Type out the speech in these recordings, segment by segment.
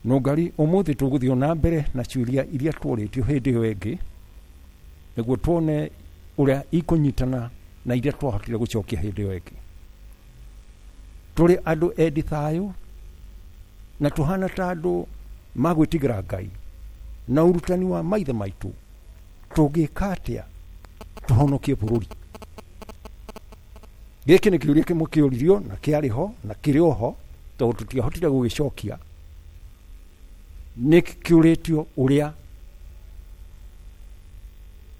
Nũngari ũmũthĩ tũgũthiĩ na mbere na ciũria iria tworĩtio hĩndĩ ĩyo ĩngĩ, nĩguo tuone ũrĩa ikũnyitana na iria twahotire gũcokia hĩndĩ ĩyo ĩngĩ. Tũrĩ andũ endi thayũ na tũhana ta andũ magwĩtigĩra Ngai na ũrutani wa maithe maitũ, tũngĩka atĩa tũhonokie bũrũri? Gĩkĩ nĩ kĩũria kĩmwe kĩũririo na kĩarĩ ho na kĩrĩ o ho, tondũ tũtiahotire gũgĩcokia. Nĩ kĩũrĩtio ũrĩa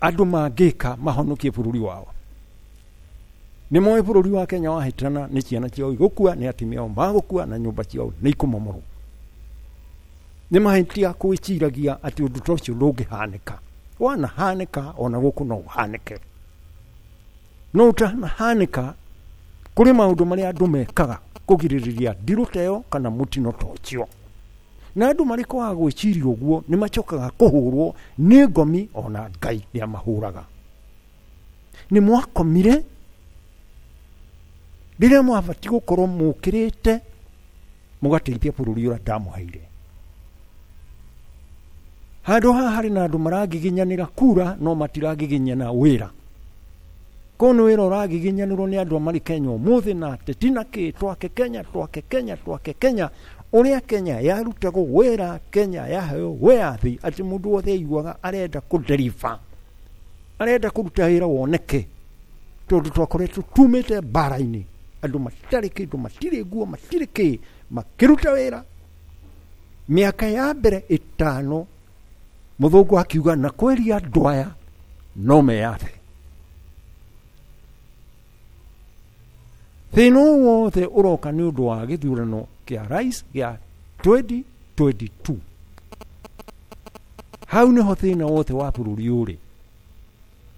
andũ mangĩka mahonokie bũrũri wao. Nĩ moĩ bũrũri wa Kenya wahĩtana nĩ ciana ciao igũkua, nĩ atumia ao magũkua, na nyũmba ciao nĩ ikũmomorwo. Nĩ mahĩtia gwĩciragia atĩ ũndũ ta ũcio ndũngĩhanĩka. Wanahanĩka ona gũkũ no ũhanĩke. No ũtanahanĩka, kũrĩ maũndũ marĩa andũ mekaga kũgirĩrĩria ndirũ ta ĩyo kana mũtino ta ũcio. Na andũ marĩ kwaga gwĩciria ũguo nĩ macokaga kũhũrwo nĩ ngomi, ona Ngai nĩ amahũraga. Nĩ mwakomire rĩrĩa mwabatiĩ gũkorwo mũkĩrĩte mũgateithia bũrũri ũrĩa ndamũheire. Handũ haha harĩ na andũ maragiginyanĩra kura no matiragiginyana wĩra. Kũu nĩ wĩra ũragiginyanĩrwo nĩ andũ marĩ Kenya ũmũthĩ na ateti na kĩ, twake Kenya, twake Kenya, twake Kenya. Ũrĩa Kenya yarutagwo wĩra, Kenya yaheo wĩyathi atĩ mũndũ wothe aiguaga arenda kũdeliver, arenda kũruta wĩra woneke, tondũ twakoretwo tumĩte mbara-inĩ, andũ matarĩ kĩndũ, matirĩ nguo, matirĩ kĩ, makĩruta wĩra. Mĩaka ya mbere ĩtano mũthũngũ akiuga na kweria andũ aya no meyathe. Thĩna ũyũ wothe ũroka nĩ ũndũ wa gĩthurano kĩa rais gĩa 2022. Hau nĩho thĩna wothe wa bũrũri ũrĩ.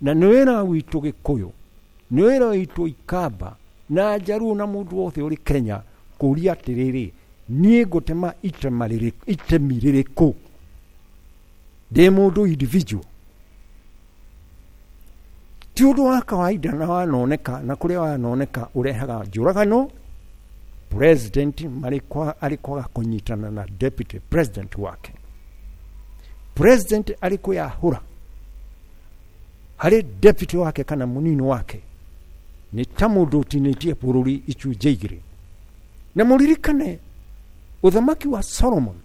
Na nĩ wĩra witũ Gĩkũyũ, nĩ wĩra witũ Ikamba na Njaruo na mũndũ wothe ũrĩ Kenya kũria atĩrĩrĩ, niĩ ngũtema itemi rĩrĩkũ ndĩ mũndũ individual? Ti ũndũ wa kawaida na wanoneka, na kũrĩa wanoneka ũrehaga njũragano. President arĩ kwaga kũnyitana na deputy president wake, president arĩ kwĩyahũra harĩ deputy wake kana mũnini wake, nĩ ta mũndũ ũtinĩtie bũrũri icunjĩ igĩrĩ. Na mũririkane ũthamaki wa Solomon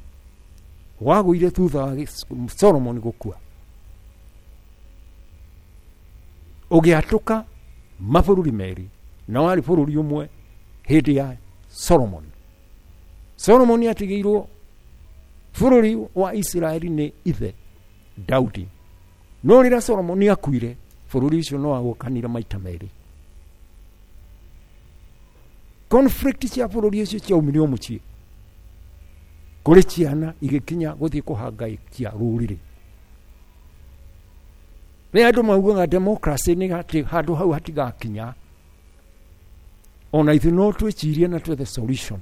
wagũire thutha wa Solomon gũkua, ũgĩatũka mabũrũri merĩ, na warĩ bũrũri ũmwe hĩndĩ ya Solomon. Solomon atigĩirwo bũrũri wa Isiraeli nĩ ithe Daudi, no rĩrĩa Solomon akuire bũrũri ũcio no wagũkanire maita merĩ. Conflict cia bũrũri ũcio ciaumire o mũciĩ kũrĩ ciana igĩkinya gũthiĩ kũhangaikia rũrĩrĩ. Nĩ andũ maugaga democracy nĩ atĩ handũ hau hatigakinya, ona ithuĩ no twĩcirie na twethe solution.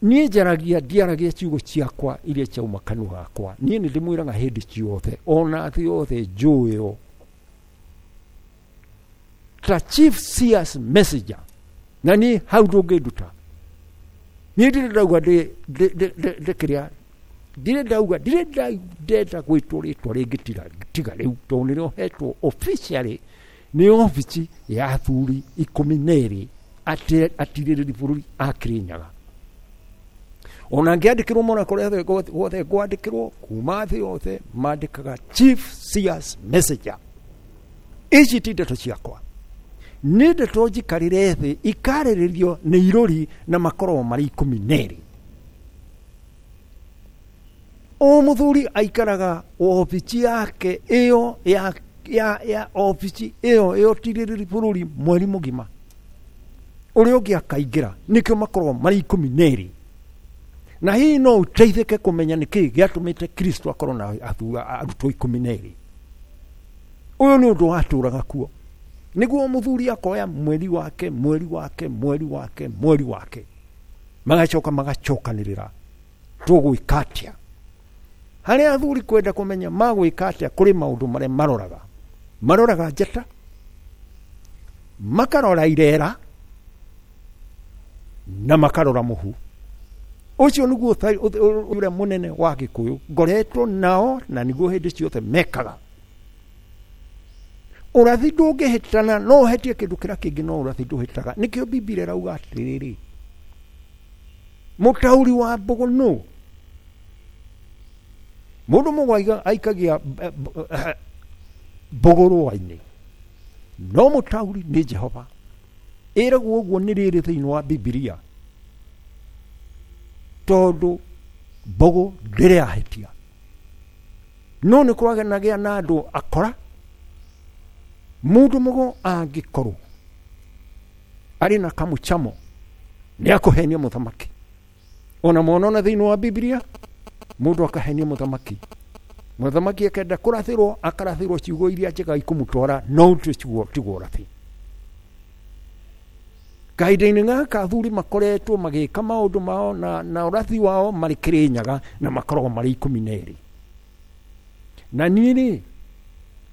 Niĩ njaragia, ndiaragia ciugo ciakwa iria ciauma kanua gakwa. Niĩ nĩ ndĩmwĩraga hĩndĩ ciothe, ona thĩ yothe njũĩo ta chief seers messenger, na niĩ hau ndũngĩnduta. Niĩ ndirĩ ndauga ndĩkĩrĩa, ndirĩ ndauga, ndirĩ ndenda gwĩtwo rĩtwa rĩngĩ tiga rĩu, tondũ nĩrĩo hetwo officially nĩ obici ya athuri ikũmi na erĩ atirĩrĩri bũrũri a Kĩrĩnyaga. Ona ngĩandĩkĩrwo mona kũrĩa guothe ngwandĩkĩrwo kuma thĩ yothe mandĩkaga chief seers messenger. Ici ti ndeto ciakwa, nĩ ndeto njikarĩre thĩ ikarĩrĩrio nĩ irũri na makorwo marĩ ikũmi na erĩ. O mũthuri aikaraga obici yake ĩyo ya obici ĩyo ĩyotirĩrĩri bũrũri mweri mũgima, ũrĩa ũngĩ akaingĩra, nĩkĩo makorwo marĩ ikũmi na erĩ. Na hihi no ũteithĩke kũmenya nĩkĩ gĩatũmĩte Kristo akorwo na arutwo ikũmi na erĩ. Ũyũ nĩ ũndũ watũraga kuo, nĩguo mũthuri akoya mweri wake, mweri wake, mweri wake, mweri wake, magacoka magacokanĩrĩra tũgwĩka atĩa. Harĩa athuri kwenda kũmenya magwĩka atĩa, kũrĩ maũndũ marĩa maroraga. Maroraga njata, makarora irera, Na makarora mũhu. Ũcio nĩguo ũrĩa mũnene wa Gĩkũyũ ngoretwo nao, na nĩguo hĩndĩ ciothe mekaga. Ũrathi ndũngĩhĩtana, no ũhetie kĩndũ kĩrĩa kĩngĩ, no ũrathi ndũhĩtaga. Nĩkĩo Bibilia ĩrauga atĩrĩrĩ, mũtaũri wa mbũgũ nũ? Mũndũ mũgũ aikagia mbũgũ rũa-inĩ, no mũtaũri nĩ Jehova. Ĩragwo ũguo nĩ rĩrĩ thĩinĩ wa Bibilia, tondũ mbũgũ ndĩrĩ yahĩtia. No nĩ kũragenagĩa na andũ akora. Mũndũ mũgo angĩkorwo arĩ na kamũcamo nĩ akũhenia mũthamaki. Ona mwana ona thĩinĩ wa Bibilia mũndũ akahenia mũthamaki, mũthamaki akenda kũrathĩrwo, akarathĩrwo ciugo iria njega ikũmũtwara, no tiguo ũrathi. Kahinda-inĩ gaka athuri makoretwo magĩka maũndũ mao na ũrathi wao marĩ Kĩrĩnyaga, na makoragwo marĩ 12. Na niĩ rĩ,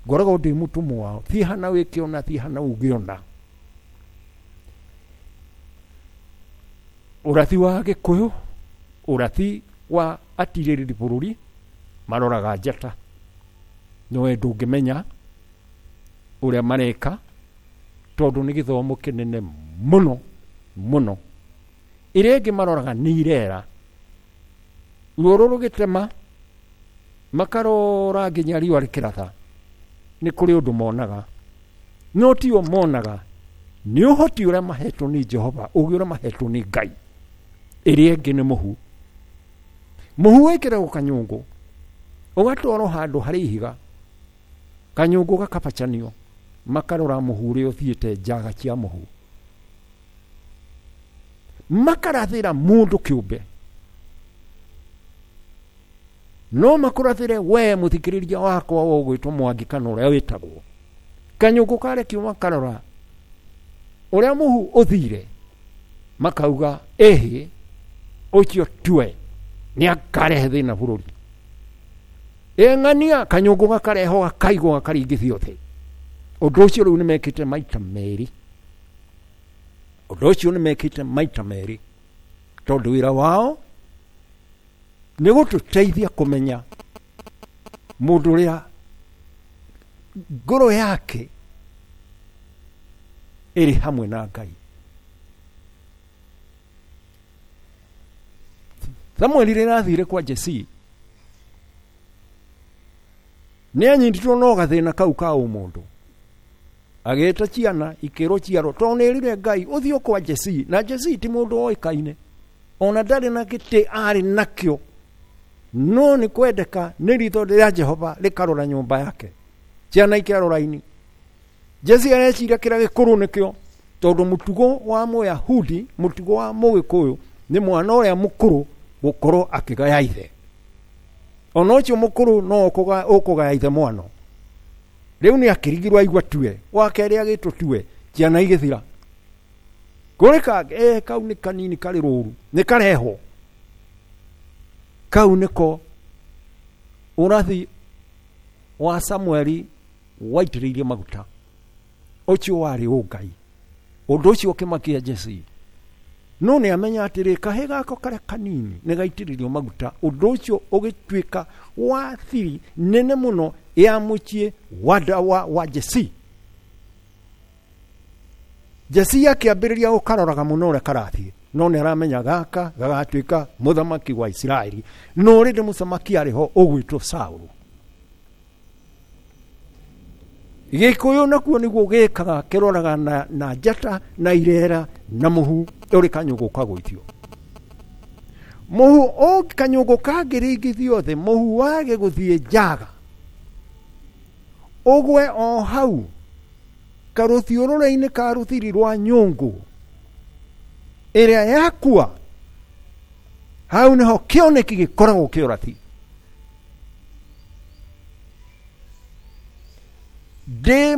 ngoragwo ndĩ mũtũmwo wao, thiĩ hana wĩke ũna, thiĩ hana uge ũna. Ũrathi wa Gĩkũyũ, ũrathi wa atirĩrĩri bũrũri, maroraga njata, no we ndũngĩmenya ũrĩa mareka, tondũ nĩ gĩthomo kĩnene mũno mũno. Ĩrĩa ĩngĩ maroraga nĩ irera, ruo rũgĩtema makarora nginya riũa rĩkĩratha, nĩ kũrĩ ũndũ monaga, no tio monaga, nĩ ũhoti ũrĩa mahetwo nĩ Jehova, ũgĩ ũrĩa mahetwo nĩ Ngai. Ĩrĩa ĩngĩ nĩ mũhu. Mũhu wĩkĩragwo kanyũngũ, ũgatwarwo handũ harĩ ihiga, kanyũngũ gakabacanio, makarora mũhu ũrĩa ũthiĩte njaga cia mũhu, makarathĩra mũndũ kĩũmbe. No makũrathĩre we mũthikĩrĩria wakwa ũgwĩtwo Mwangi kana ũrĩa wĩtagwo. Kanyũngũ karekio makarora ũrĩa mũhu ũthire, makauga ĩhĩ, ũcio tue nĩ akarehe thĩna bũrũri. Ĩng'ania kanyũngũ gakareho gakaigwo gakaringithio thĩ. Ũndũ ũcio rĩu nĩ mekĩte maita merĩ. Ũndũ ũcio nĩ mekĩte maita merĩ, tondũ wĩra wao nĩ gũtũteithia kũmenya mũndũ ũrĩa ngoro yake ĩrĩ hamwe na Ngai. Samueli rĩrĩa athire kwa Jesii, nĩ anyitirwo no gathĩna kau ka ũmũndũ, agĩta ciana ikĩrwo ciarwo, tondũ nĩ erire Ngai ũthiĩ kwa Jesii, na Jesii ti mũndũ oĩkaine, ona ndarĩ na gĩtĩ arĩ nakĩo, no nĩ kwendeka nĩ ritho rĩa Jehova rĩkarora nyũmba yake. Ciana ikĩarwo raini. Jesii areciria kĩrĩa gĩkũrũ nĩkĩo, tondũ mũtugo wa Mũyahudi, mũtugo wa Mũgĩkũyũ nĩ mwana ũrĩa mũkũrũ gũkorwo akĩgaya ithe. Ona ũcio mũkũrũ no ũkũgaya ithe mwano. Rĩu nĩ akĩrigirwo aigua tue, wa kerĩ agĩtwo tue, ciana igĩthira. Kũrĩ kangĩ, kau nĩ kanini karĩ rũru, nĩ karehwo. Kau nĩko ũrathi wa Samueli waitĩrĩirie maguta. Ũcio warĩ ũngai. Ũndũ ũcio ũkĩmakia Jesii. No nĩ amenya atĩrĩ, kahĩ gako karĩa kanini nĩ gaitĩrĩrio maguta. Ũndũ ũcio ũgĩtuĩka wa thiri nene mũno ya mũciĩ wa Jesii. Jesii akĩambĩrĩria gũkaroraga mũno ũrĩa karathiĩ, no nĩ aramenya gaka gagatuĩka mũthamaki wa Isiraeli. No rĩndĩ mũthamaki arĩ ho ũgwĩtwo Saũlũ. Gĩkũyũ nakuo nĩguo gĩkaga, kĩroraga na njata na irera na mũhu ũrĩ kanyũngũ kagũithio. Mũhu kanyũngũ kangĩringithio thĩ, mũhu wage gũthiĩ njaga, ũgwe o hau karũthiũrũrĩ-inĩ ka rũthiri rwa nyũngũ ĩrĩa yakua, hau nĩho kĩoneki gĩkoragwo kĩũrathi. Ndĩ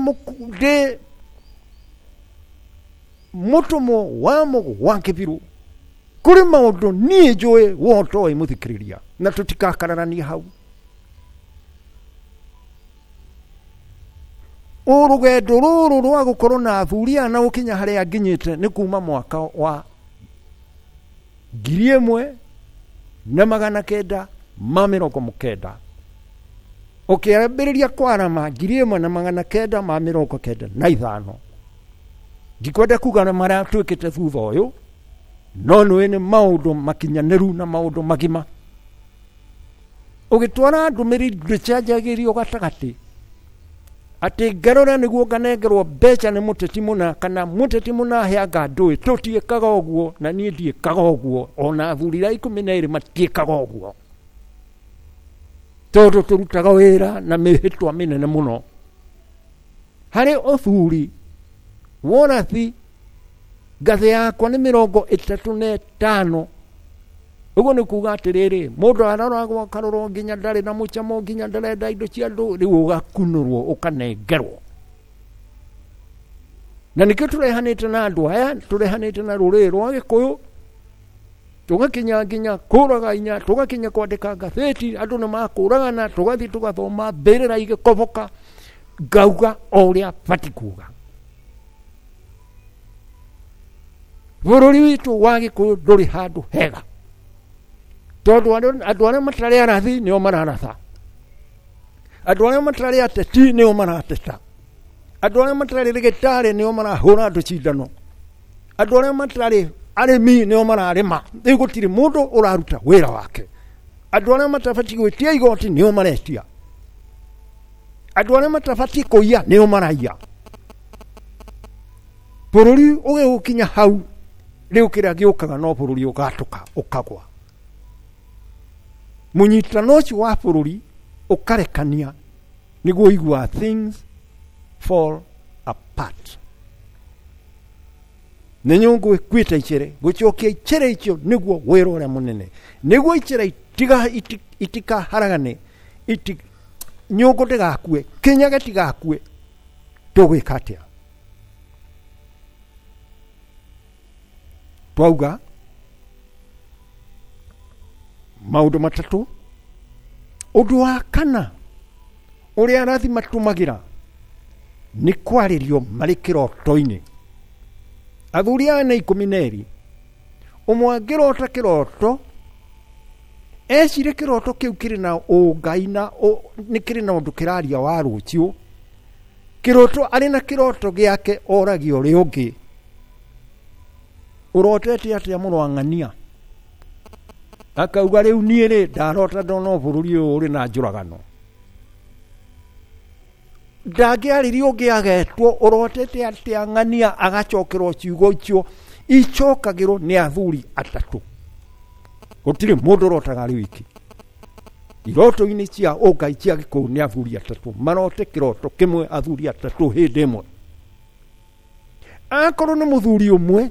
mũtũmwo wa mũgũ wa kĩbirũ, kũrĩ maũndũ niĩ njũĩ wotoĩ mũthikĩrĩria, na tũtikakararania hau. Ũrũgendo rũrũ rwa gũkorwo na athuri aya na gũkinya harĩa nginyĩte nĩ kuma mwaka wa 1990 ũkĩambĩrĩria kwarama 1995. Ndikwenda kuga na marĩa twĩkĩte thutha ũyũ, no nĩũĩ nĩ maũndũ makinyanĩru na maũndũ magima. Ũgĩtwara ndũmĩrĩri ndĩcenjagĩrio gatagatĩ atĩ ngarora nĩguo nganengerwo mbeca nĩ mũteti mũna kana mũteti mũna heanga ndũĩ. Tũtiĩkaga ũguo na niĩ ndiĩkaga ũguo, ona athuri arĩa 12 matiĩkaga ũguo, tondũ tũrutaga wĩra na mĩhĩtwa mĩnene mũno. Harĩ ũthuri worathi ngathĩ yakwa nĩ 35. Ũguo nĩ kuga atĩrĩrĩ, mũndũ aroragwo akarorwo nginya ndarĩ na mũcamo, nginya ndarenda indo cia andũ, rĩu ũgakunũrwo ũkanengerwo. Na nĩkĩo tũrehanĩte na andũ aya, tũrehanĩte na rũrĩrĩ rwa Gĩkũyũ, tũgakinya nginya kũraga inya, tũgakinya kwandĩka ngathĩti, andũ nĩ makũragana, tũgathiĩ tũgathoma mbĩrĩra igĩkoboka, ngauga o ũrĩa batiĩ kuga. Bũrũri witũ wa Gĩkũyũ ndũrĩ handũ hega, tondũ andũ arĩa matarĩ arathi nĩo mararatha, andũ arĩa matarĩ ateti nĩo marateta, andũ arĩa matarĩ rĩgĩtarĩ nĩo marahũra andũ cindano, andũ arĩa matarĩ arĩmi nĩo mararĩma. Rĩu gũtirĩ mũndũ ũraruta wĩra wake. Andũ arĩa matabatiĩ gwĩtia igoti nĩo maretia, andũ arĩa matabatiĩ kũiya nĩo maraiya. Bũrũri ũgĩgũkinya hau, rĩu kĩrĩa gĩũkaga no bũrũri ũgatũka ũkagwa. Mũnyitano ũcio wa bũrũri ũkarekania nĩguo ũiguaga things fall apart. Nĩ nyũngũ ĩkuĩte icere, gũcokia icere icio nĩguo wĩra ũrĩa mũnene, nĩguo icere itikaharagane, nyũngũ ndĩgakue, kĩnyage tigakue. Tũgwĩka atĩa? Twauga maũndũ matatũ. Ũndũ wa kana ũrĩa arathi matũmagĩra nĩ kwarĩrio marĩ kĩroto-inĩ. Athuri aya nĩ 12, ũmwe angĩrota kĩroto ecire kĩroto kĩu kĩrĩ na ũngai na nĩ kĩrĩ na ũndũ kĩraria wa rũciũ. Kĩroto arĩ na kĩroto gĩake oragia ũrĩa ũngĩ, ũrotete atĩa mũrũ wa ng'ania? Akauga rĩu niĩ rĩ ndarota ndona bũrũri ũyũ ũrĩ na njũragano. Ndangĩarĩria ũngĩ agetwo ũrotete atĩa ng'ania, agacokerwo ciugo icio icokagĩrwo nĩ athuri atatũ. Gũtirĩ mũndũ ũrotaga arĩ wiki. Iroto-inĩ cia ũngai cia Gĩkũyũ nĩ athuri atatũ marote kĩroto kĩmwe, athuri atatũ hĩndĩ ĩmwe. Akorwo nĩ mũthuri ũmwe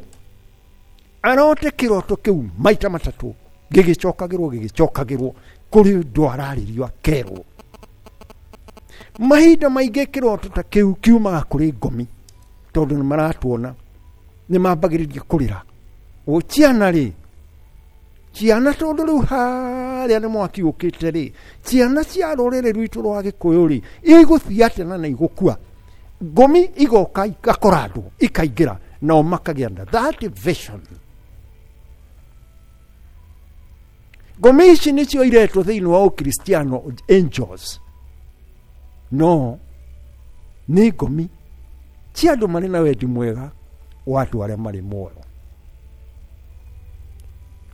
arote kĩroto kĩu maita matatũ, gĩgĩcokagĩrwo gĩgĩcokagĩrwo kũrĩ ũndũ ararĩrio akerwo. Mahinda maingĩ kĩroto ta kĩu kiumaga kũrĩ ngomi, tondũ nĩ maratuona, nĩ mambagĩrĩria kũrĩra. O ciana rĩ, ciana tondũ rĩu harĩa nĩ mwaki ũkĩte rĩ, ciana cia rũrĩrĩ rwitũ rwa Gĩkũyũ rĩ, igũthiĩ atĩa na nĩ igũkua? Ngomi igoka igakora andũ ikaingĩra, nao makagĩa na that vision. Ngomi ici nĩcio iretwo thĩinĩ wa Ũkristiano angels, no nĩ ngomi cia andũ marĩ na wendi mwega wa andũ arĩa marĩ muoyo.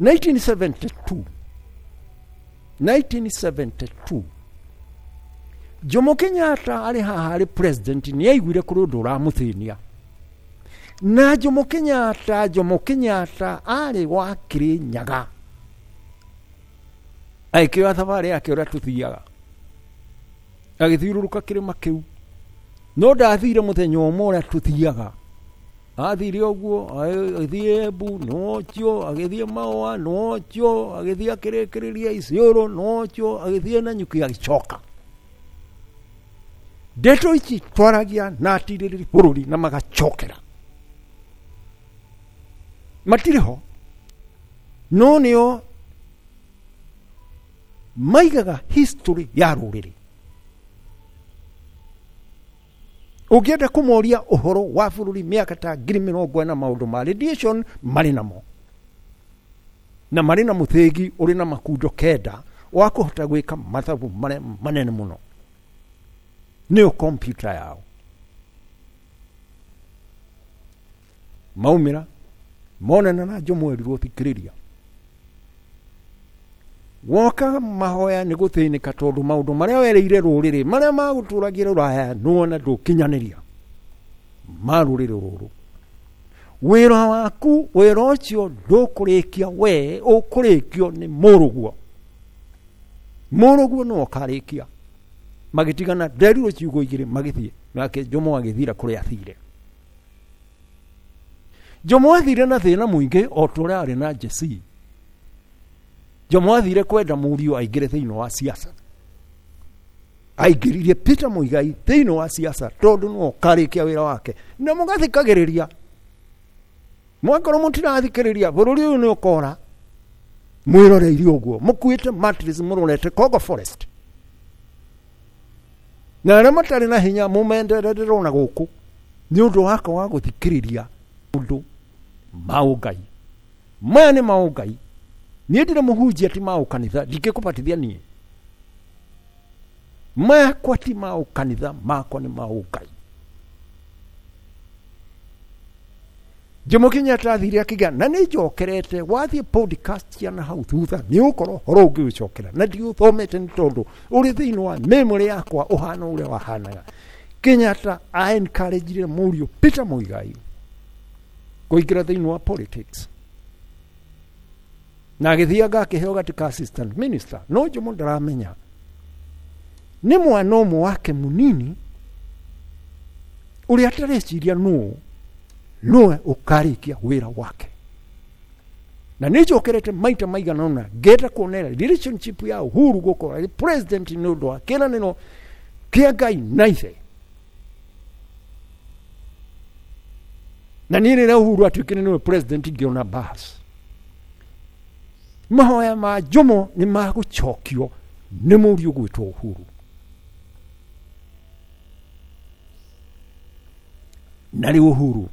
1972 Jomo Kenyatta arĩ haha arĩ president nĩ aiguire kũrĩ ũndũ ũramũthĩnia. Na Jomo Kenyatta arĩ wa Kĩrĩnyaga, agĩkĩoya thabarĩ yake ũrĩa tũthiaga, agĩthiũrũrũka kĩrĩma kĩu. No ndathire mũthenya ũmwe ũrĩa tũthiaga, athire ũguo, agĩthiĩ Embu nĩwocio, agĩthiĩ Maũa nĩwocio, agĩthiĩ akĩrĩkĩrĩria Isiolo nĩwocio, agĩthiĩ Nanyuki agĩcoka. Ndeto ici twaragia na atirĩrĩri bũrũri na magacokera, matirĩ ho, no nĩo maigaga history ya rũrĩrĩ. Ũngĩenda kũmoria ũhoro wa bũrũri mĩaka ta 40,000 maũndũ ma radiation marĩ namo. Na marĩ na mũthĩgi ũrĩ na makundo 9 wa kũhota gwĩka mathabu marĩa manene mũno. Nĩyo kompyuta yao. Maumĩra monana na Jomo erirwo thikĩrĩria. Woka mahoya nĩ gũthĩnĩka tondũ maũndũ marĩa wereire rũrĩrĩ marĩa magũtũragia rũraya nĩwona ndũkinyanĩria ma rũrĩrĩ rũrũ. Wĩra waku, wĩra ũcio ndũkũrĩkia we, ũkũrĩkio nĩ mũrũguo. Mũrũguo nĩwe ũkarĩkia. Magĩtigana nderirwo ciugo igĩrĩ magĩthiĩ, nake Jomo agĩthira kũrĩa athire. Jomo athire na thĩna mũingĩ o ta ũrĩa arĩ na Jesse. Jomo athire kwenda mũriũ aingĩre thĩinĩ wa siasa. Aingĩririe Peter Muigai thĩinĩ wa siasa tondũ nĩwe ũkarĩkia wĩra wake. Na mũgathikagĩrĩria. Mwakorwo mũtirathikĩrĩria bũrũri ũyũ nĩ ũkora. Mwĩroreire ũguo mũkuĩte mattress mũrorete Congo Forest. Na arĩa matarĩ na hinya mũmendererwo na gũkũ nĩ ũndũ wakwa wa gũthikĩrĩria ũndũ maũngai. Maya nĩ maũngai. Niĩ ndirĩ mũhunjia ti maũkanitha, ndingĩkũbatithia niĩ. Makwa ti maũkanitha, makwa nĩ maũngai. Jomo Kenyatta athire akĩgĩa na nĩ njokerete wathiĩ podcast ya na hau thutha nĩ ũkorwo horo ũngĩũcokera na ndiũthomete nĩ tondũ ũrĩ thĩinĩ wa memory yakwa ũhana ũrĩa wahanaga. Kenyatta a encouraged mũriũ Peter Muigai kũingĩra thĩinĩ wa politics na agĩthiaga akĩheo gatĩ ka assistant minister. No Jomo ndaramenya nĩ mwana ũmwe wake mũnini ũrĩa atareciria nũũ nũwe ũkarĩkia wĩra wake. Na nĩ njokerete maita maigana ũna ngenda kuonera relationship ya Uhuru gũkorwo arĩ president nĩ ũndũ wa kĩĩranĩro kĩa Ngai na ithe. Na niĩ rĩrĩa Uhuru atuĩkire nĩwe president ngĩona bas. Mahoya ma Jomo nĩ magũcokio nĩ mũriũ gwĩtwo Uhuru. Na rĩu Uhuru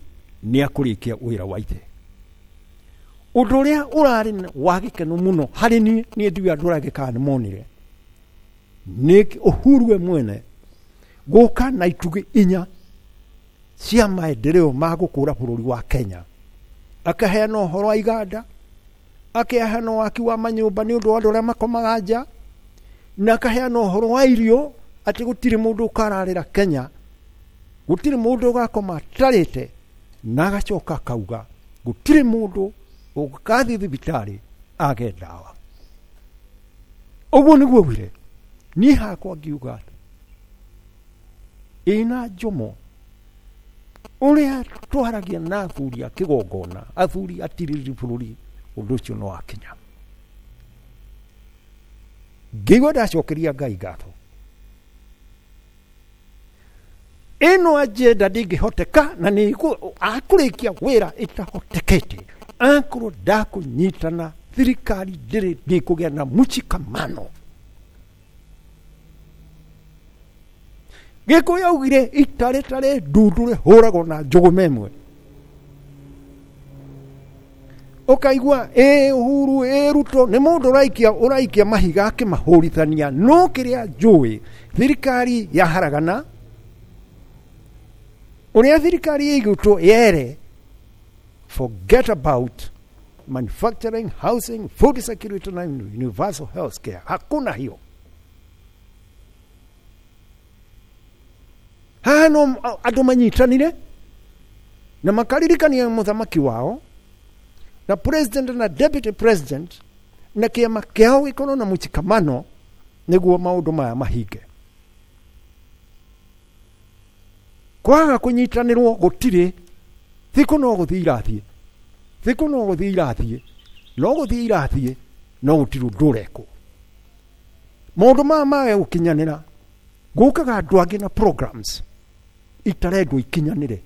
nĩ akũrĩkia wĩra wa ithe. Ũndũ ũrĩa ũrarĩ wa gĩkeno mũno harĩ niĩ, niĩ ndiũĩ andũ arĩa angĩ kana nĩ monire, nĩ Uhuru we mwene gũka na itugĩ 4 cia maendeleo ma gũkũra bũrũri wa Kenya. Akaheana ũhoro wa iganda, akaheana waki wa manyũmba nĩ ũndũ wa andũ arĩa makomaga nja, na akaheana ũhoro wa irio atĩ gũtirĩ mũndũ ũkararĩra Kenya, gũtirĩ mũndũ ũgakoma atarĩte, na agacoka akauga gũtirĩ mũndũ ũgathiĩ thibitarĩ age ndawa. Ũguo nĩguo augire. Niĩ hakwa ngiuga ĩna Jomo ũrĩa twaragia na athuri a kĩgongona, athuri atirĩrĩri bũrũri, ũndũ ũcio no wakinya. Ngĩigua ndacokeria Ngai ngatho. Ĩno agenda ndĩngĩhoteka na nĩ akũrĩkia wĩra ĩtahotekete akorwo ndakũnyitana thirikari ndĩrĩ ndĩkũgĩa na mshikamano. Gĩkũyũ augire itarĩtarĩ ndundu rĩhũragwo na njũgũma ĩmwe. Ũkaigua ĩ Uhuru ĩ Ruto nĩ mũndũ ũraikia mahiga akĩmahũrithania, no kĩrĩa njũĩ thirikari yaharagana ũrĩa thirikari ĩigĩtwo yere forget about manufacturing, housing, food security na universal health care. Hakuna hiyo. Haha no andũ manyitanire na makaririkania mũthamaki wao na president na deputy president na kĩama kĩao gĩkorwo na mũchikamano nĩguo maũndũ maya mahinge. Kwaga kũnyitanĩrwo gũtirĩ, thikũ no gũthiĩ irathiĩ, thikũ no gũthiĩ irathiĩ, no gũthiĩ irathiĩ, no gũtirĩ ũndũ ũrekwo. Maũndũ maya mage gũkinyanĩra, gũkaga andũ angĩ na programs itarendwo ikinyanĩre.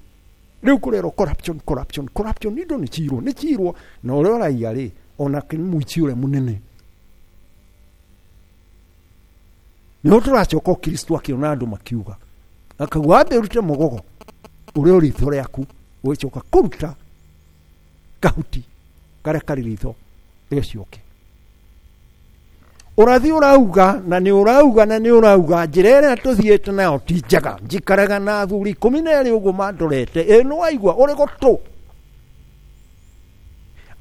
Rĩu kũrerwo corruption, corruption, corruption, indo nĩ ciirwo, nĩ ciirwo, na ũrĩa ũraiya rĩ, onake nĩ mũici ũrĩa mũnene. Nĩho tũracoka Kristo akĩona andũ makiuga, akauga ambe ũrute mũgogo ũrĩa ũrĩ ritho rĩaku, ũgĩcoka kũruta kahuti karĩa karĩ ritho Rĩcoke ũrathi ũrauga na nĩ ũrauga na nĩ ũrauga njĩra ĩrĩa tũthiĩte nayo ti njega. Njikaraga na athuri 12 ũguo mandorete, ĩ nĩ waigua ũrĩ gũtũ.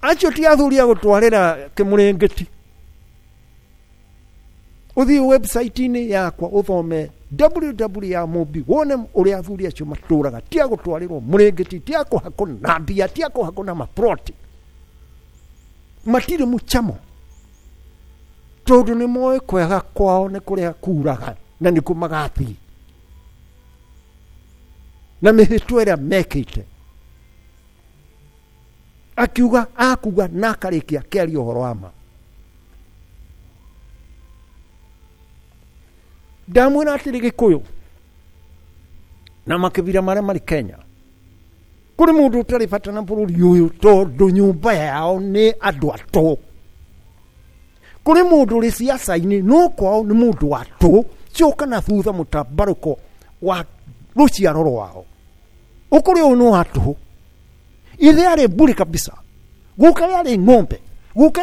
Acio ti athuri a gũtwarĩra kĩmũrĩngĩti. Ũthiĩ website-inĩ yakwa ũthome www ya Mũmbi wone ũrĩa athuri acio matũraga. Ti a gũtwarĩrwo mũrĩngĩti, ti a kũhakwo na mbia, ti a kũhakwo na maploti. Matirĩ mũcamo tondũ nĩ moĩ kwega kwao nĩ kũrĩa kuraga na nĩkuo magathiĩ na mĩhĩtwa ĩrĩa mekĩte. Akiuga akuga na akarĩkia akĩaria ũhoro wa ma. Ndamwĩra atĩrĩ Gĩkũyũ na makĩbira marĩa marĩ Kenya, kũrĩ mũndũ ũtarĩ bata na bũrũri ũyũ tondũ nyũmba yao nĩ andũ atũ. Kũrĩ mũndũ ũrĩ ciaca-inĩ no kwao nĩ mũndũ wa tũ. Coka na thutha mũtambarũko wa rũciaro rwao, ũkũrĩ ũyũ nĩ wa tũhũ. Ithe arĩ mbũri kabisa, guka yarĩ ng'ombe, guka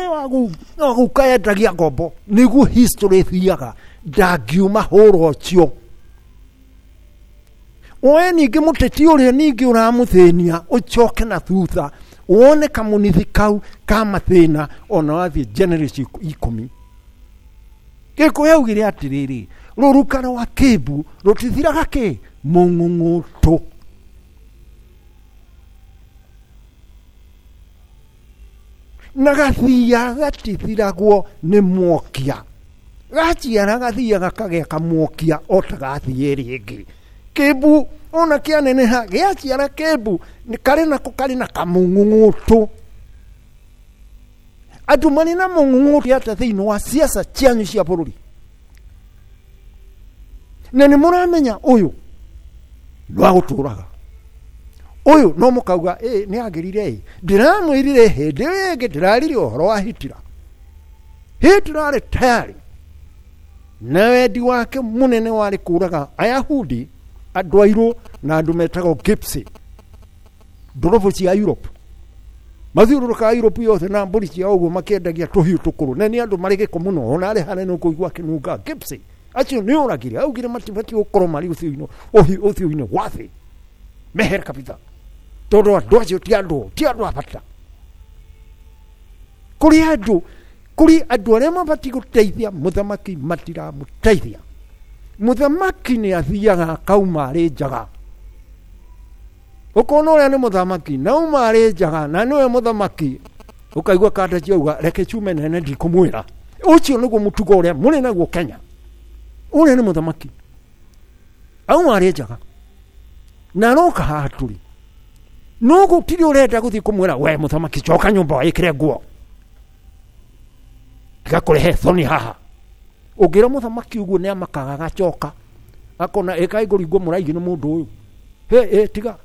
guka yendagia ngombo. Nĩguo history ĩthiaga, ndangiuma hũra ũcio. Oe ningĩ mũteti ũrĩa ningĩ ũramũthĩnia ũcoke na thutha wone kamũnithi kau ka mathĩna ona wathiĩ generation 10. Gĩkũyũ augire atĩrĩrĩ, rũruka rwa kĩmbu rũtithiraga kĩ mũng'ũng'ũtũ. Na gathia gatithiragwo nĩ mwokia. Gaciara gathia gakagĩa kamwokia o ta gathiĩ rĩngĩ. Kĩmbu ona kĩaneneha gĩaciara kĩmbu karĩ nako karĩ na kamũng'ũng'ũtũ. Andũ marĩ na mũng'ũng'ũtũ atĩa thĩinĩ wa ciaca cianyu cia bũrũri? Na nĩ mũramenya ũyũ nĩ wa gũtũraga, ũyũ no mũkauga ĩ nĩ agĩrire ĩ. Ndĩramwĩrire hĩndĩ ĩyo ĩngĩ ndĩraririe ũhoro wa Hitler. Hitler arĩ tayari na wendi wake mũnene warĩ kũraga Ayahudi, andũ airũ na andũ metagwo Gypsy, ndorobo cia Europe. Mathiũrũrũkaga Europe yothe na mbũri ciao ũguo makĩendagia tũhiũ tũkũrũ, na nĩ andũ marĩ gĩko mũno, ona arĩ hanene ũkũigua akĩnunga Gypsy. Acio nĩ oragire, augire matibatiĩ gũkorwo marĩ ũthiũ-inĩ wa thĩ, mehere kabisa, tondũ andũ acio ti andũ a bata. Kũrĩ andũ arĩa mabatiĩ gũteithia mũthamaki matiramũteithia. Mũthamaki nĩ athiaga akauma arĩ njaga. Ũkona ũrĩa nĩ mũthamaki na uma arĩ njaga na nĩwe mũthamaki, ũkaigua kanda ciauga reke ciume nene ndikũmwĩra. Ũcio nĩguo mũtugo ũrĩa mũrĩ naguo Kenya. Ũrĩa nĩ mũthamaki auma arĩ njaga na aroka haha tũrĩ, no gũtirĩ ũrenda gũthiĩ kũmwĩra we mũthamaki coka nyũmba wĩkĩre nguo tiga kũrehe thoni haha. Ũngĩra mũthamaki ũguo nĩ amakaga agacoka akona ĩkai ngũringwo mũraigi nĩ mũndũ ũyũ, he tiga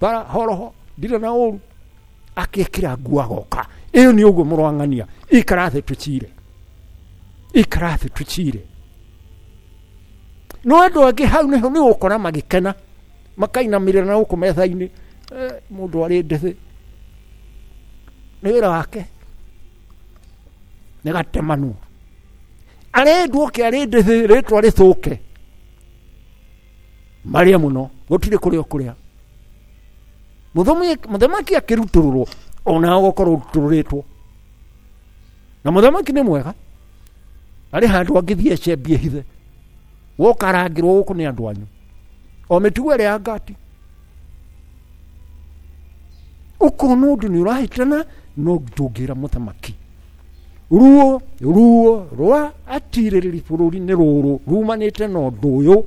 bara horoho ndirĩ na ũru, akĩkĩra nguo agoka. Ĩyo nĩ ũguo mũrwang'ania, ikara thĩ tũcire, ikara thĩ tũcire. No andũ angĩ hau nĩho nĩ ũgũkora magĩkena makainamĩrĩra na gũkũ metha-inĩ, mũndũ arĩ ndĩthĩ nĩ wĩra wake nĩ gatemanwo, arendwo oke arĩ ndĩthĩ rĩtwa rĩthũke marĩa mũno gũtirĩ kũrĩa ũkũrĩa. Mũthamaki akĩrutũrũrwo ona ũgũkorwo ũrutũrũrĩtwo. Na mũthamaki nĩ mwega, arĩ handũ angĩthiĩ ecembie hithe, woka arangĩrwo gũkũ nĩ andũ anyu o mĩtugo ĩrĩa ya ngati. Ũkona ũndũ nĩ ũrahĩtana no ndũngĩra mũthamaki. Ruo ruo rwa atirĩrĩri bũrũri nĩ rũrũ rumanĩte na ũndũ ũyũ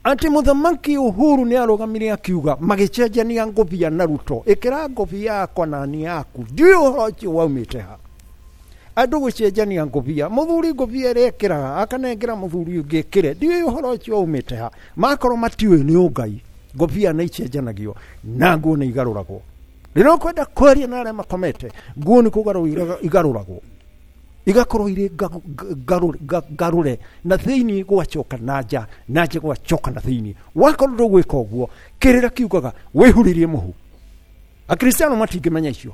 atĩ mũthamaki Uhuru nĩ arũgamire akiuga magĩcenjania ngũbia na Ruto, ĩkĩra ngũbia yakwa na niĩ yaku. Ndiũĩ ũhoro ũcio waumĩte ha. Andũ gũcenjania ngũbia, mũthuri ngũbia ĩrĩa ĩkĩraga akanengera mũthuri ũngĩ ĩkĩre, ndiũĩ ũhoro ũcio waumĩte ha. Makorwo matiũĩ nĩ ũngai, ngũbia nĩ icenjanagio na nguo nĩ igarũragwo. Rĩrĩa ũkwenda kwaria na arĩa makomete, nguo nĩ kũgarũrwo igarũragwo, igakorwo irĩ ngarũre na thĩinĩ gwacoka na nja, na nja gwacoka na thĩinĩ. Wakorwo ndũgwĩka ũguo, kĩrĩra kiugaga wĩhurĩrie mũhu. Akristiano matingĩmenya icio.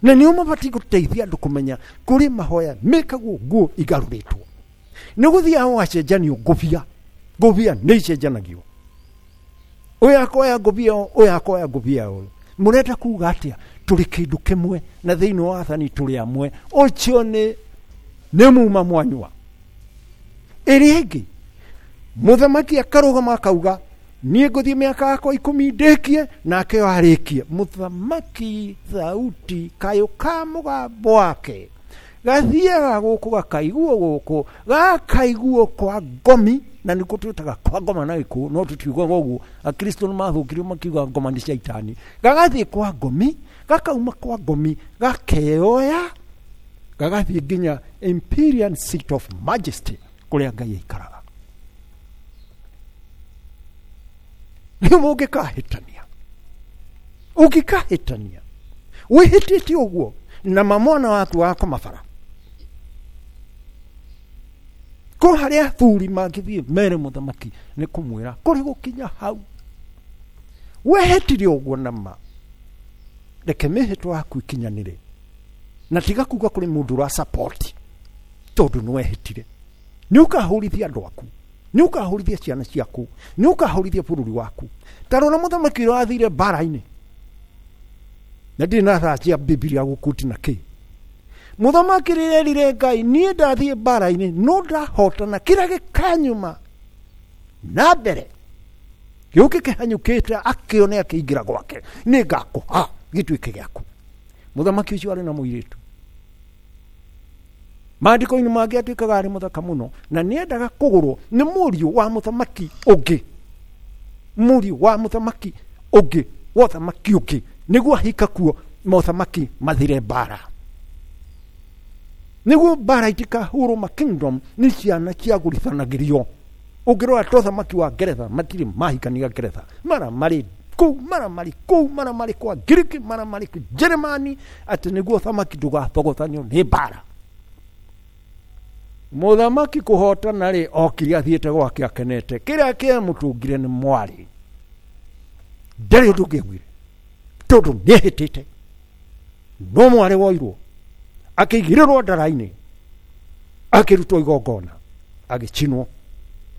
Na nĩo mabatiĩ gũteithia andũ kũmenya kũrĩ mahoya mekagwo nguo igarũrĩtwo. Nĩ gũthiaga gũgacenjanio ngũbia. Ngũbia nĩ icenjanagio. Ũyũ akoya ngũbia ũyũ, ũyũ akoya ngũbia ũyũ. Mũrenda kuga atĩa? Tũrĩ kĩndũ kĩmwe na thĩinĩ wa wathani tũrĩ amwe. Ũcio nĩ muma mwanyua. Ĩrĩa ĩngĩ, mũthamaki akarũgama akauga niĩ ngũthiĩ mĩaka yakwa 10 ndĩkie, nake yo arĩkie. Mũthamaki thauti kayũ ka mũgambo wake gathiaga gũkũ gakaiguo gũkũ, gakaiguo kwa ngomi, na nĩkuo twĩtaga kwa ngoma na gĩkũyũ, no tũtiugaga ũguo. Akristo nĩ mathũkirio makiuga ngoma nĩ caitani. Gagathiĩ kwa ngomi, gakauma kwa ngomi, gakeoya, gagathiĩ nginya Imperial Seat of Majesty kũrĩa Ngai aikaraga. Rĩu mũngĩkahĩtania, ũngĩkahĩtania wĩhĩtĩte ũguo na mamwana waku wakoma bara, kũ harĩa athuri mangĩthiĩ mere mũthamaki nĩ kũmwĩra kũrĩ gũkinya hau wehĩtire ũguo na ma, reke mĩhĩtwa yaku ikinyanĩre, na tiga kuga kũrĩ mũndũ ũra support tondũ nĩ wehĩtire. Nĩ ũkahũrithia andũ aku, nĩ ũkahũrithia ciana ciaku, nĩ ũkahũrithia bũrũri waku. Ta rora mũthamaki ũrĩa wathire mbara-inĩ, na ndirĩ na thaa cia Bibilia gũkuti na kĩ. Mũthamaki rĩrĩa erire Ngai, niĩ ndathiĩ mbara-inĩ no ndahotana, kĩrĩa gĩkanyuma na mbere gĩũke kĩhanyũkĩte akĩone akĩingĩra gwake, nĩ ngakũha gĩtuĩke gĩaku. Mũthamaki ũcio arĩ na mũirĩtu. Maandĩko-inĩ mangĩ atuĩkaga arĩ mũthaka mũno, na nĩendaga kũgũrwo nĩ mũriũ wa mũthamaki ũngĩ, mũriũ wa mũthamaki ũngĩ, wa ũthamaki ũngĩ, nĩguo ahika kuo mothamaki mathire mbara, nĩguo mbara itikahũrwo ma kingdom nĩ ciana ciagũrithanagĩrio. Ũngĩrora ta ũthamaki wa Ngeretha, matirĩ mahikania Ngeretha, mara marĩ kũu, mara marĩ kũu, mara marĩ kwa Ngiriki, mara marĩ kũ Jeremani, atĩ nĩguo ũthamaki ndũgathogothanio nĩ mbara. Mũthamaki kũhotana rĩ, okire athiĩte gwake akenete, kĩrĩa kĩamũtũngire nĩ mwarĩ, ndarĩ ũndũ ũngĩaugire tondũ nĩehĩtĩte. No mwarĩ woirwo akĩigĩrĩrwo ndara-inĩ, akĩrutwo igongona, agĩcinwo.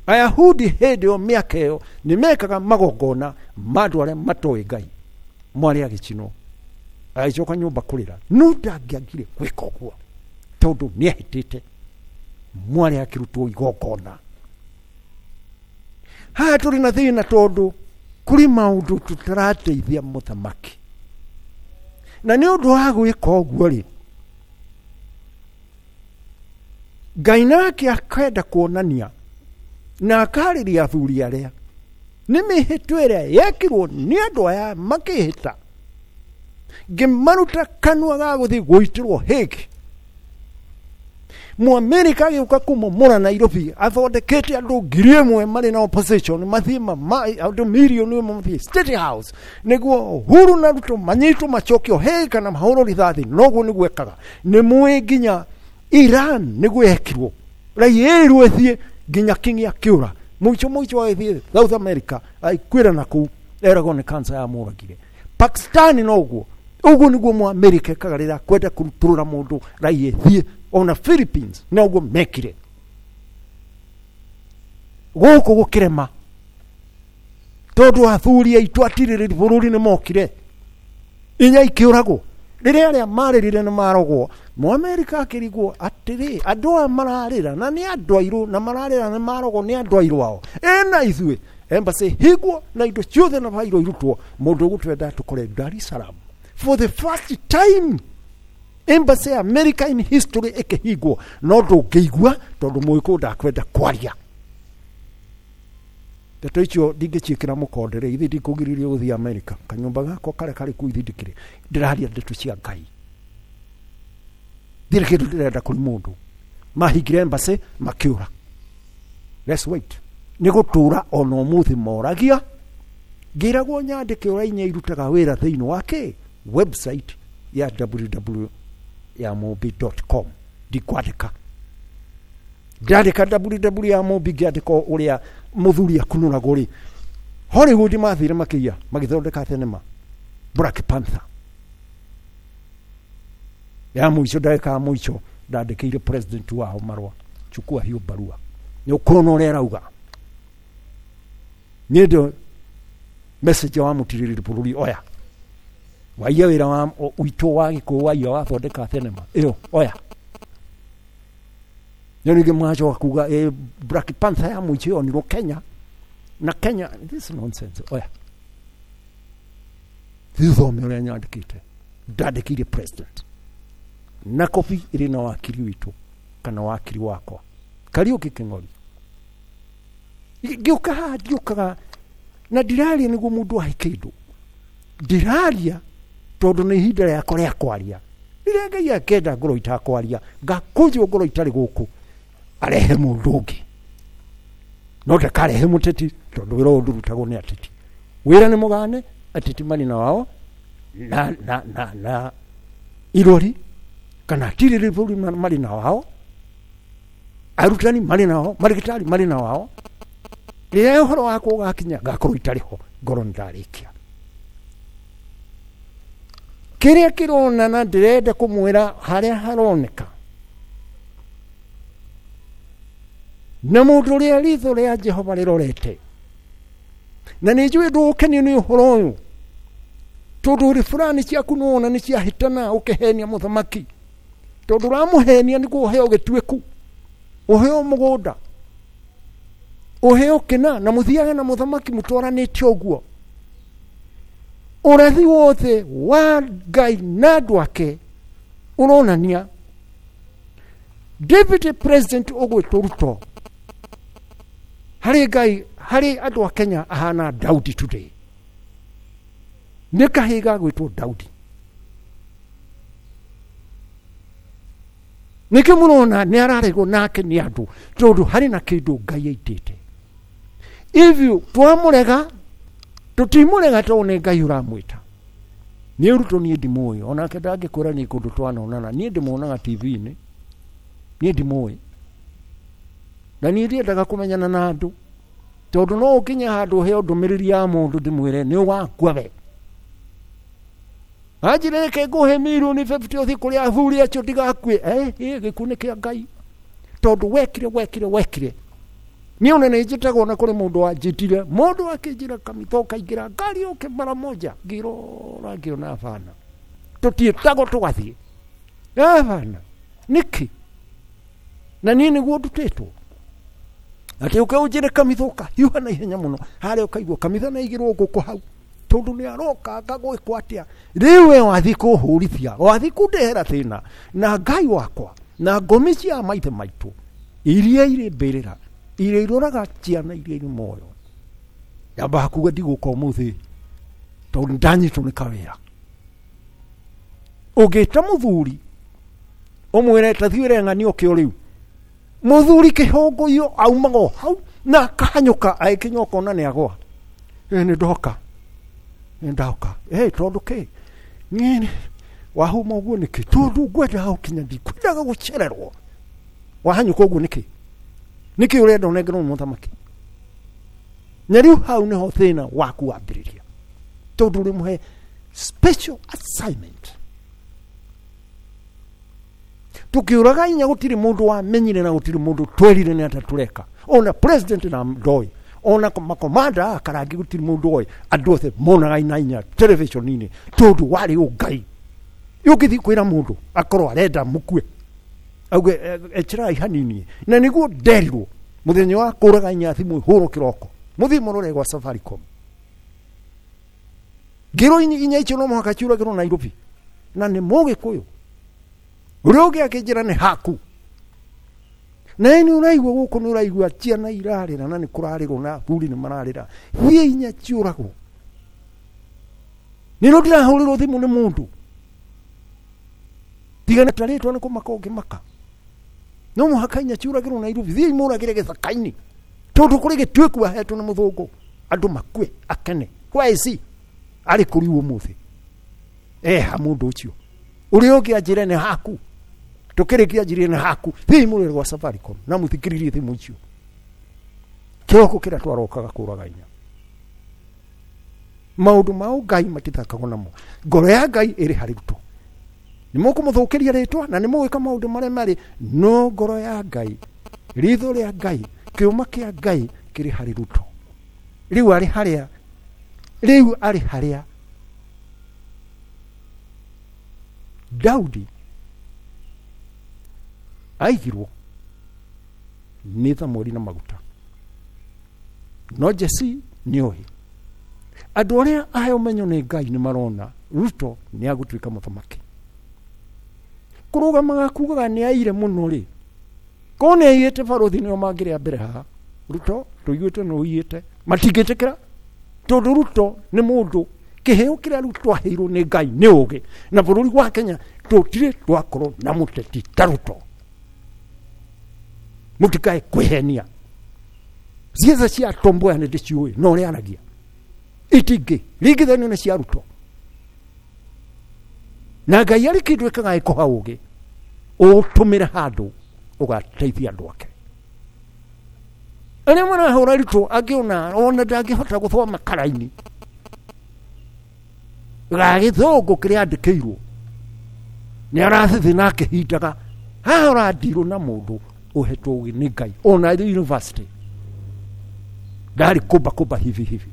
Ayahudi hĩndĩ ĩyo mĩaka ĩyo nĩ mekaga magongona ma andũ arĩa matoĩ Ngai. Mwarĩ agĩcinwo, agĩcoka nyũmba kũrĩra, no ndangĩagire gwĩka ũguo tondũ nĩehĩtĩte. Mwarĩ akĩrutwo igongona. Haha tũrĩ na thĩna tondũ kũrĩ maũndũ tũtarateithia mũthamaki, na nĩ ũndũ wa gwĩka ũguo rĩ, Ngai nake akenda kuonania na akarĩria athuri arĩa nĩ mĩhĩtwa ĩrĩa yekirwo nĩ andũ aya makĩhĩta, ngĩmaruta kanua ga gũthiĩ gũitĩrwo hĩngĩ. Mũamerika agĩũka kũmomora Nairobi athondekete andũ 1,000 marĩ na opposition, mathiĩ andũ 1,000,000 mathiĩ State House nĩguo Uhuru na Ruto manyitwo macokio hĩngĩ kana mahũrwo rithathi. Noguo nĩguo ekaga. Nĩ mũĩ nginya Iran nĩguo yekirwo, raia ĩrwo ĩthiĩ nginya King akĩũra, mũico mũico agĩthiĩ South America agĩkuĩra na kũu, eragwo nĩ cancer yamũragire. Pakistan noguo, ũguo nĩguo Mũamerika ekaga rĩrĩa akwenda kũrutũrũra mũndũ raia ĩthiĩ. Ona Philippines noguo mekire. Gũkũ gũkĩrema tondũ athuri aitũ atirĩrĩri bũrũri nĩ mokire, inya ikĩũragwo. Rĩrĩa arĩa marĩrire nĩ marogwo, Mũamerika akĩrigwo atĩrĩ, andũ aya mararĩra na nĩ andũ airũ, na mararĩra nĩ marogwo nĩ andũ airũ ao. Ĩna ithuĩ embassy hingwo na indo ciothe na bairo irutwo, mũndũ ũgũtwenda tũkore Dar es Salaam for the first time embassy ya America in history ĩkĩhingwo, no ndũngĩigua tondũ mũgĩkũyũ ndakwenda kwaria. Ndeto icio ndingĩciĩkĩra mũkonde rĩ, ithe ndikũgirĩrĩrio gũthiĩ America, kanyũmba gakwa karĩa karĩ kũu ithe ndikĩrĩ, ndĩraria ndeto cia Ngai, ndirĩ kĩndũ ndĩrenda kũrĩ mũndũ. Mahingire embassy makĩũra. Let's wait. Nĩ gũtũra ona ũmũthĩ moragia, ngĩragwo nyandĩke ũrĩa inya irutaga wĩra thĩinĩ wa kĩ website ya www ya mũmbi dot com. Ndikwandĩka, ndandĩka www ya mũmbi, ngĩandĩka ũrĩa mũthuri akunũragwo rĩ, Hollywood mathire makĩiya magĩthondeka thenema Black Panther. Ya mũico, ndagĩka ya mũico ndandĩkĩire president wao marũa, chukua hiyo barua, nĩ ũkuona ũrĩa arauga. Niĩ ndo message wa mũtirĩrĩri bũrũri oya waiya wĩra wa witũ wa gĩkũyũ, waiya wathondeka thenema ĩyo oya. Nĩ ningĩ mwacoka kuga Black Panther ya mũico yonirwo Kenya na Kenya, this nonsense oya. Thithome ũrĩa nyandĩkĩte, ndandĩkĩire president na kobi ĩrĩ na wakiri witũ kana wakiri wakwa Kariũki Kĩng'ori. Ngĩũka haha ndiũkaga na ndiraria nĩguo mũndũ ahe kĩndũ, ndiraria tondũ nĩ ihinda rĩakwa rĩa kwaria. Rĩrĩa Ngai akenda ngorwo itakwaria, ngakũnjwo ngorwo itarĩ gũkũ, arehe mũndũ ũngĩ, no ndakarehe mũteti, tondũ wĩra ũyũ ndũrutagwo nĩ ateti. Wĩra nĩ mũgane, ateti marĩ na wao na na na na irori kana atirĩrĩri bũrũri marĩ na wao, arutani marĩ na wao, marigitari marĩ na wao. Rĩrĩa ũhoro wakwa ũgakinya ngakorwo itarĩ ho, ngorwo nĩ ndarĩkia kĩrĩa kĩronana. Ndĩrenda kũmwĩra harĩa haroneka na mũndũ ũrĩa ritho rĩa Jehova rĩrorete, na nĩ njũĩ ndũgũkenio nĩ ũhoro ũyũ, tondũ ũrĩ fulani ciaku nĩwona nĩ ciahĩtana ũkĩhenia mũthamaki, tondũ ũramũhenia nĩguo ũheo gĩtuĩku, ũheo mũgũnda, ũheo kĩna, na mũthiage na mũthamaki mũtwaranĩte ũguo. Ũrathi wothe wa Ngai na andũ ake ũronania deputy president ũgwĩtwo Ruto harĩ Ngai, harĩ andũ a Kenya ahana Daudi today, nĩ kahĩĩ gagwĩtwo Daudi. Nĩkĩ mũrona nĩ araregwo nake nĩ andũ? Tondũ harĩ na kĩndũ Ngai aitĩte. Ithuĩ twamũrega tũtimũrega tondũ nĩ Ngai ũramwĩta. Niĩ Ruto niĩ ndimũĩ, onake ndangĩkwĩra niĩ kũndũ twanonana, niĩ ndĩmuonaga TV-inĩ, niĩ ndimũĩ, na niĩ ndiendaga kũmenyana na andũ, tondũ no ũkinye handũ ũheo ndũmĩrĩri ya mũndũ ndĩmwĩre nĩ ũgakua we. Anjĩre reke ngũhe mirioni 50 ũthiĩ kũrĩ athuri acio ndigakue. Gĩkuũ nĩ kĩa Ngai, tondũ wekire wekire wekire. Niĩ ona nĩ njĩtagwo na kũrĩ mũndũ wanjĩtire, mũndũ akĩnjĩra kamitho ũkaingĩra ngari ũke mara moja, ngĩrora ngĩona bana, tũtiĩtagwo tũgathiĩ bana nĩkĩ? Na niĩ nĩguo ndutĩtwo atĩ ũke ũnjĩre kamitho ũkahiũha na ihenya mũno harĩa ũkaigua kamitho nĩ aigĩrwo ngũkũ hau, tondũ nĩ aroka ngagwĩkwo atĩa. Rĩu we wathiĩ kũhũrithia, wathiĩ kũndehera thĩna na Ngai wakwa na ngomi cia maithe maitũ iria irĩ mbĩrĩra, iria iroraga ciana iria irĩ muoyo. Nyambaga kuga ndigũka ũmũthĩ tondũ ndanyitwo nĩ kawĩra. Ũngĩta mũthuri ũmwĩre ta thiĩ wĩre ng'ani ũkĩ o rĩu, mũthuri kĩhũngũyũ aumaga o hau na akahanyũka agĩkinya ũkona nĩ agwa. Nĩ ndoka, nĩ ndoka. Tondũ kĩ niĩ wahuma ũguo nĩkĩ? Tondũ ngwendaga gũkinya, ndikwendaga gũcererwo. Wahanyũka ũguo nĩkĩ? Nĩkĩ ũrenda ũnengerwo nĩ mũthamaki? Na rĩu hau nĩho thĩna waku wambĩrĩria, tondũ ũrĩmũhe special assignment. Tukiuraga inya gũtirĩ mũndũ wamenyire na gũtirĩ mũndũ twerire nĩ atĩa tũreka, ona president na ndoĩ, ona makomanda a karangi gũtirĩ mũndũ oĩ. Andũ othe monaga ina inya television-inĩ, tondũ warĩ ũngai. Ũngĩthiĩ kwĩra mũndũ akorwo arenda mũkue, auge echerai hanini. Na nĩguo nderirwo mũthenya wa kũraga inya thimũ hũrwo kĩroko, mũthiĩ mũrore gwa Safaricom, ngĩrwo inya icio no mũhaka ciũragĩrwo Nairobi, na nĩ mũgĩkũyũ ũrĩa ũngĩ akĩnjĩra nĩ haku. Na nĩ ũraigua gũkũ, nĩ ũraigua ciana irarĩra na nĩ kũrarĩrwo na athuri nĩ mararĩra, thiĩ inya ciũragwo. Nĩ rĩo ndĩrahũrĩrwo thimũ nĩ mũndũ tiga nĩ tarĩtwa nĩ kũmaka ũngĩmaka, no mũhaka inya ciũragĩrwo Nairobi, thiĩ imũragĩre gĩthaka-inĩ, tondũ kũrĩ gĩtuĩku ahetwo nĩ mũthũngũ, andũ makue akene. Where is he? Arĩ kũrĩ ũmũthĩ eha mũndũ ũcio ũrĩa ũngĩ anjĩre nĩ haku, tũkĩrĩkia anjĩre nĩ haku, thiĩ imũrĩre gwa Safaricom na mũthikĩrĩrie thimũ icio kĩroko kĩrĩa twarokaga kũraga inya. Maũndũ ma ũngai matithakagwo namo, ngoro ya Ngai ĩrĩ harĩ Ruto. Nĩ mũkũmũthũkĩria rĩtwa na nĩ mũgwĩka maũndũ marĩa marĩ no ngoro ya Ngai, ritho rĩa Ngai, kĩũma kĩa Ngai kĩrĩ harĩ Ruto. Rĩu arĩ harĩa, rĩu arĩ harĩa Daudi aigirwo nĩ Thamweli na maguta. No Jesse nĩ oĩ andũ arĩa ahe ũmenyo nĩ Ngai nĩ marona Ruto nĩ agũtuĩka mũthamaki. Kũrũgamaga kugaga nĩ aire mũno rĩ, korwo nĩ aiyĩte barothi nĩo mangĩrĩa mbere haha. Ruto tũiguĩte nĩ ũiyĩte, matingĩtĩkĩra tondũ Ruto nĩ mũndũ kĩheo kĩrĩa Ruto aheirwo nĩ Ngai nĩ ũgĩ, na bũrũri wa Kenya tũtirĩ twakorwo na mũteti ta Ruto. Mũtikae kwĩhenia, ciaca cia Tom Mboya nĩ ndĩciũĩ na ũrĩa aragia itingĩ ringithanio nĩ cia Ruto. Na Ngai arĩ kĩndũ ĩkaga ĩkũha ũgĩ ũtũmĩre handũ ũgateithia andũ ake arĩa marahũra Ruto. Angĩ ona ndangĩhota gũthoma karaini ga gĩthũngũ kĩrĩa andĩkĩirwo nĩ arathithi na akĩhindaga. Haha ũrandirwo na mũndũ ũhetwo ũgĩ nĩ Ngai, ona arĩ university ndarĩ kũmba kũmba hivi hivi,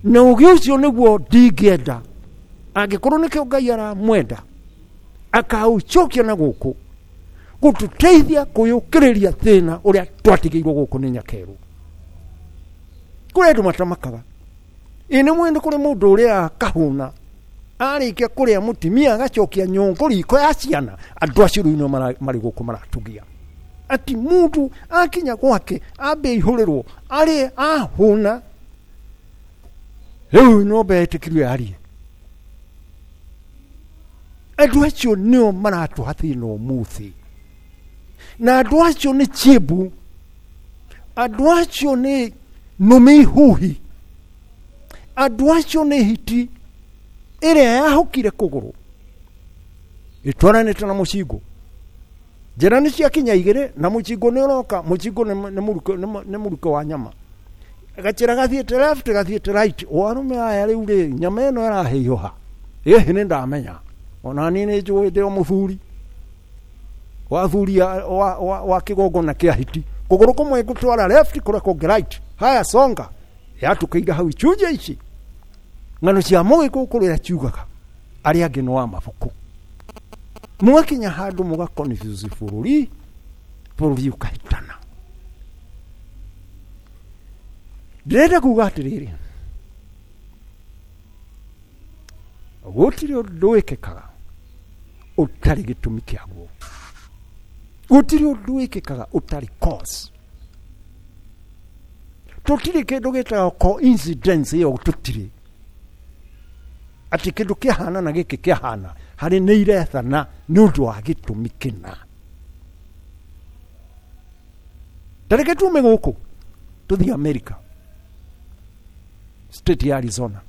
na ũgĩ ũcio nĩguo ndingĩenda angĩkorwo nĩkĩo Ngai aramwenda akaũcokia na gũkũ gũtũteithia kwĩyũkĩrĩria thĩna ũrĩa twatigĩirwo gũkũ nĩ nyakerũ. Kũrĩ andũ matamakaga ĩ nĩ mwene kũrĩ mũndũ ũrĩa akahũna arĩkia kũrĩa mũtimia agacokia nyũngũ riko ya ciana. Andũ acio rĩu nĩo marĩ gũkũ maratugia ati mũndũ akinya gwake ambe ihũrĩrwo arĩe ahũna, rĩu no betĩkirio yarie. Andũ acio nĩo maratũha thĩna ũmũthĩ, na andũ acio nĩ chibu, andũ acio nĩ nũme ihuhi, andũ acio nĩ hiti ĩrĩa yahũkire kũgũrũ ĩtwaranĩte na mũcingũ. Njĩra nĩ ciakinya igĩrĩ na mũcingũ nĩ ũroka. Mũcingũ nĩ mũruke wa nyama, gacĩra gathiĩte left, gathiĩte right. Warũme aya rĩu rĩ, nyama ĩno ĩrahiũha ĩhĩ nĩ ndamenya ona niĩ nĩ njũĩ ndĩ o mũthuri wa thuri wa kĩgongona kĩa hiti, kũgũrũ kũmwe ngũtwara left, kũrĩa kũngĩ right. Haya, songa yatũkĩire hau icunjĩ ici ng'ano cia mũgĩkũyũ kũrĩa ciugaga arĩa angĩ nĩ wa mabuku. Mũgakinya handũ mũgaconfuse bũrũri, bũrũri ũkahĩtana. Ndĩrenda kuga atĩrĩrĩ, gũtirĩ ũndũ wĩkĩkaga ũtarĩ gĩtũmi kĩaguo, gũtirĩ ũndũ wĩkĩkaga ũtarĩ cause. Tũtirĩ kĩndũ gĩtagwo coincidence ĩyo, tũtirĩ atĩ kĩndũ kĩahana na gĩkĩ kĩahana harĩ nĩ irethana nĩ ũndũ wa gĩtũmi kĩna. Ta reke tume gũkũ tũthiĩ America, state ya Arizona,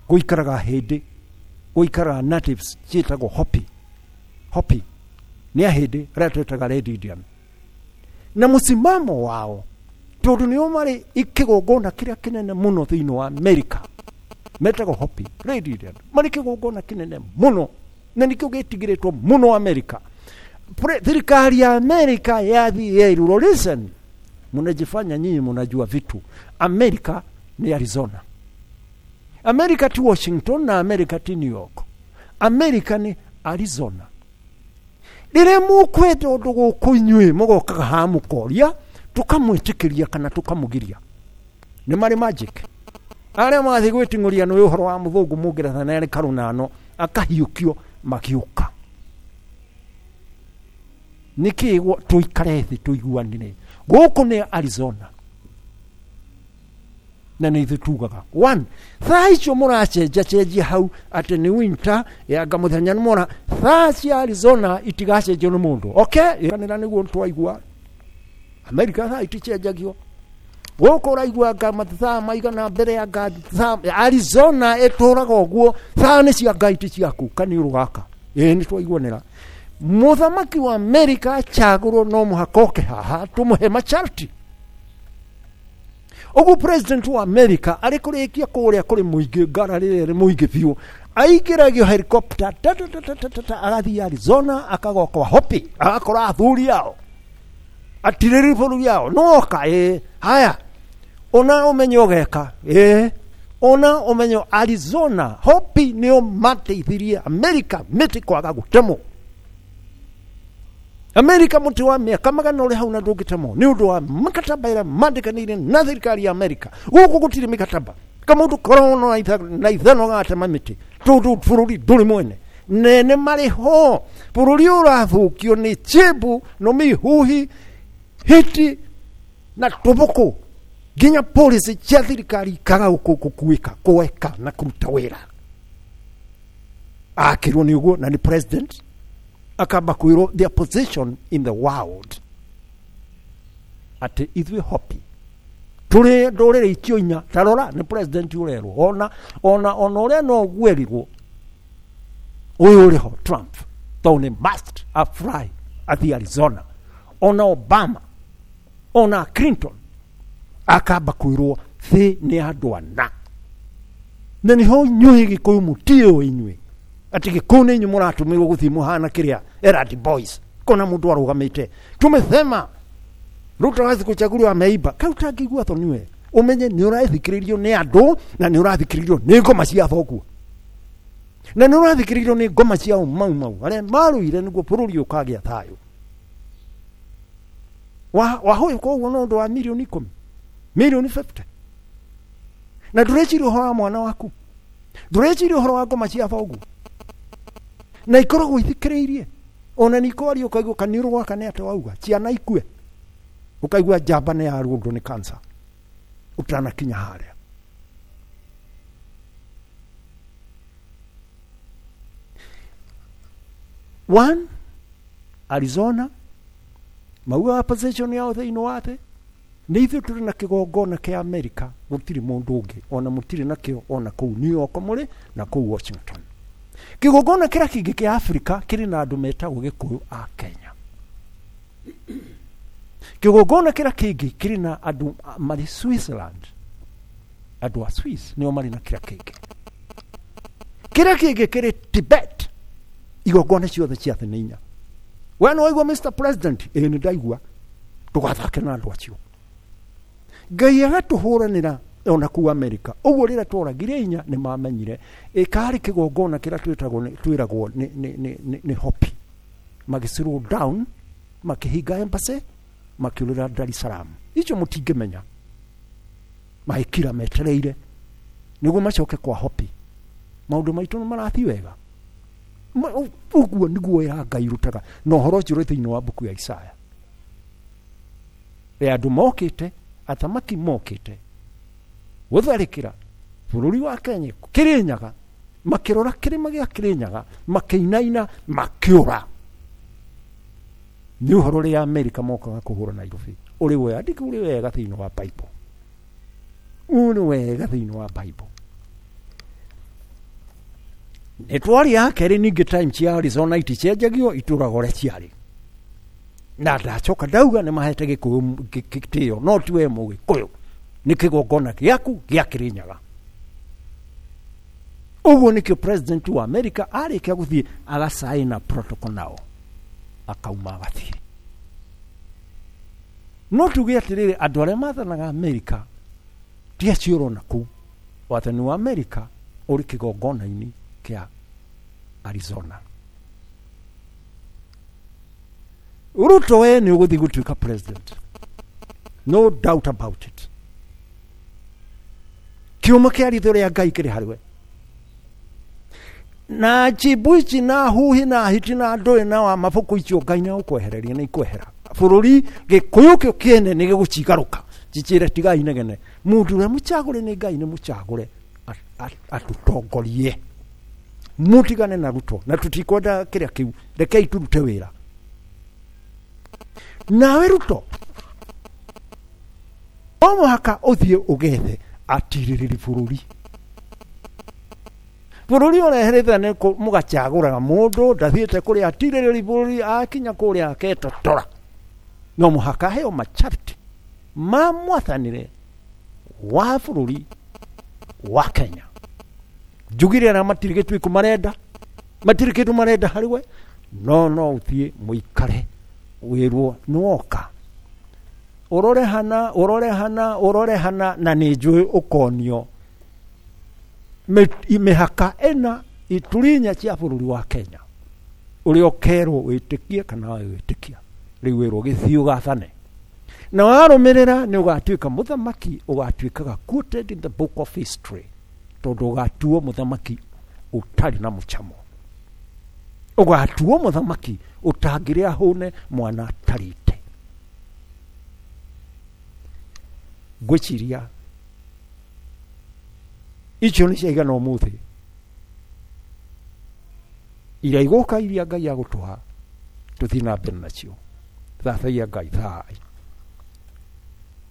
gũikaraga hĩndĩ gũikaraga natives ciĩtagwo Hopi. Hopi nĩ ahĩndĩ arĩa twĩtaga Red Indian, na mũsimamo wao tondũ nĩo marĩ kĩgongona kĩrĩa kĩnene mũno thĩinĩ wa America, metagwo Hopi Red Indian, marĩ kĩgongona kĩnene mũno na nĩkĩo gĩtigĩrĩtwo mũno America. Thirikari ya America yathiĩ yerirwo, listen, mnajifanya nyinyi mnajua vitu. America ni Arizona, America ti Washington na America ti New York, America ni Arizona. Rĩrĩa mũkwenda ũndũ gũkũ inyuĩ mũgokaga haha mũkoria, tũkamwĩtĩkĩria kana tũkamũgiria. Nĩ marĩ magic arĩa mathiĩ gwĩting'ũria nĩ ũhoro wa mũthũngũ mũngeretha na nĩ karũnano akahiũkio magĩũka. Nĩkĩ tũikare thĩ tũiguanĩre? Gũkũ nĩ Arizona na nĩ ithuĩ tugaga one thaa icio mũracenjacenjia hau atĩ nĩ winter yanga mũthenya nĩ mora. Thaa cia Arizona itigacenjio nĩ mũndũ, okay? Kanĩra nĩguo twaigua America thaa iticenjagio. Gũkũ ũraigua nga mathaa maigana mbere ya nga thaa Arizona ĩtũraga ũguo, thaa nĩ cia Ngai ti ciaku kaniũrũ gaka. Ĩĩ, nĩ twaiguanĩra mũthamaki wa America acagũrwo no mũhaka oke haha tũmũhe masharti. Ũguo president wa America arĩ kũrĩkia kũrĩa kũrĩ mũingĩ ngara rĩrĩa rĩ mũingĩ biũ, aingĩragio helicopter ta ta ta ta ta ta ta, agathiĩ Arizona, akagwa kwa Hopi, agakora athuri ao atirĩrĩ bũrũri ao noka ĩ haya ona ũmenye ũgeka ĩ ona ũmenye Arizona Hopi nĩo mateithirie America mĩtĩ kwaga gũtemwo. Amerika mũtĩ wa mĩaka magana ũrĩ hau na ndũngĩtemwo nĩ ũndũ wa mĩkataba ĩrĩa mandĩkanĩire na thirikari ya Amerika. Gũkũ gũtirĩ mĩkataba, kamũndũ korona na ithano gatema mĩtĩ tondũ bũrũri ndũrĩ mwene nene marĩ ho. Bũrũri ũrathũkio nĩ chimbu no mihuhi hiti na tũbũkũ nginya policy cia thirikari ikaga gũkuĩka kũeka na kũruta wĩra. Akĩrwo nĩ ũguo na nĩ president akamba kwĩrwo their position in the world atĩ ithuĩ Hopi tũrĩ ndũrĩrĩ icio inya. Tarora nĩ president ũrerwo ona ona ona ũrĩa no gwerirwo ũyũ ũrĩ ho Trump tondũ nĩ must afly athiĩ Arizona, ona Obama ona Clinton akamba kwĩrwo thĩ nĩ andũ ana na nĩho inyuĩ Gĩkũyũ mũtiũĩ inyuĩ atĩ Gĩkũyũ nĩ inyuĩ mũratũmĩrwo gũthiĩ mũhana kĩrĩa Eradi Boys kona mũndũ arũgamĩte tumesema Ruto hawezi kuchaguliwa ameiba. Kau utangĩigua thoni we ũmenye nĩ ũrathikĩrĩrio nĩ andũ na nĩ ũrathikĩrĩrio nĩ ngoma cia thoguo na nĩ ũrathikĩrĩrio nĩ ngoma cia mau mau arĩa marũire nĩguo bũrũri ũkagĩa thayũ. Wahũyũka ũguo no ũndũ wa mirioni 10, mirioni 50, na ndũreciria ũhoro wa mwana waku, ndũreciria ũhoro wa ngoma cia thoguo na ikoragwo ithikĩrĩirie ona nĩ ikwaria ũkaigua kaniũrũ gwaka nĩ atĩ wauga ciana ikue ũkaigua njamba nĩ yarũndwo nĩ cancer ũtanakinya harĩa. One, Arizona maugaga position yao thĩinĩ wa thĩ nĩ ithuĩ tũrĩ na kĩgongona kĩa Amerika, gũtirĩ mũndũ ũngĩ ona mũtirĩ nakĩo ona kũu New York mũrĩ na kũu Washington. Kĩgongona kĩrĩa kĩngĩ kĩa Afrika kĩrĩ na andũ metagwo Gĩkũyũ a Kenya. Kĩgongona kĩrĩa kĩngĩ kĩrĩ na andũ marĩ Switzerland, andũ a Swiss nĩo marĩ na kĩrĩa kĩngĩ. Kĩrĩa kĩngĩ kĩrĩ Tibet. Igongona ciothe cia thĩ nĩ inya. We nĩ waigua Mr President? Ĩĩ nĩ ndaigua. Ndũgathake na andũ acio. Ngai agatũhũranĩra ona kũu Amerika. Ũguo rĩrĩa tworagire inya nĩ mamenyire ĩkarĩ kĩgongona kĩrĩa twĩragwo nĩ Hopi. Magĩ down, makĩhinga embassy, makĩũrĩra Dar es Salaam. Icio mũtingĩmenya. Magĩkira metereire nĩguo macoke kwa Hopi. Maũndũ maitũ nĩ marathiĩ wega. Ũguo nĩguo wĩra Ngai rutaga na ũhoro ũcio ũrĩ thĩinĩ wa mbuku ya Isaya. Ya andũ mokĩte, athamaki mokĩte gũtharĩkĩra bũrũri wa Kenya Kĩrĩnyaga, makĩrora kĩrĩma gĩa Kĩrĩnyaga, makĩinaina, makĩũra. Nĩ ũhoro ũrĩa Amerika mokaga kũhũra Nairobi. Ũrĩ wega, ndikĩ ũrĩ wega thĩinĩ wa Bible. Ũrĩ wega thĩinĩ wa Bible. Nĩ twaria kerĩ ningĩ time cia Arizona iticenjagio itũraga ũrĩa ciarĩ. Na ndacoka ndauga nĩ mahete Gĩkũyũ gĩtĩo no ti we Mũgĩkũyũ nĩ kĩgongona gĩaku gĩa Kĩrĩnyaga. Ũguo nĩkĩo president wa America arĩkia gũthiĩ agacaina protocol nao akauma agathiĩ. No tuge atĩrĩrĩ, andũ arĩa mathanaga America ti acio ũrona kũu. Wathani wa America ũrĩ kĩgongona-inĩ kĩa Arizona. Ruto we nĩ ũgũthiĩ gũtuĩka president, no doubt about it. Kĩũma kĩa ritho rĩa Ngai kĩrĩ harĩ we. Na njimbu ici na huhi na hiti na ndũĩ na wa mabuku icio Ngai nĩ agũkwehereria nĩ ikwehera. Bũrũri Gĩkũyũ kĩo kĩene nĩ gĩgũcigarũka. Njĩre tigai inegene. Mũndũ ũrĩa mũcagũre nĩ Ngai nĩ mũcagũre atũtongorie. Mũtigane na Ruto na tũtikwenda kĩrĩa kĩu, rekei tũrute wĩra. Nawe Ruto no mũhaka ũthiĩ ũgethe atirĩrĩri bũrũri. Bũrũri ũreherete nĩ mũgacagũraga mũndũ ndathiĩte kũrĩa atirĩrĩri bũrũri akinya kũrĩa aketotora. No mũhaka aheo macharti ma mwathanĩre Wa bũrũri wa Kenya. Njugire arĩa matirĩ gĩtuĩko marenda, matirĩ kĩndũ marenda harĩ we, no no ũthiĩ mũikare wĩrwo nĩwoka ũrore hana, ũrore hana, ũrore hana, na nĩ njũĩ ũkonio mĩhaka ĩna ituri inya cia bũrũri wa Kenya, ũrĩa ũkerwo wĩtĩkie kana wage gwĩtĩkia. Rĩu wĩrwo gĩthiĩ ũgathane, na warũmĩrĩra nĩ ũgatuĩka mũthamaki, ũgatuĩkaga quoted in the book of history, tondũ ũgatuo mũthamaki ũtarĩ na mũcamo, ũgatuo mũthamaki ũtangĩrĩa hũne mwana atarĩte. Ngwĩciria icio nĩ ciaigana ũmũthĩ, iria igũka iria Ngai agũtũha tũthiĩ na mbere nacio. Thathaia Ngai thai.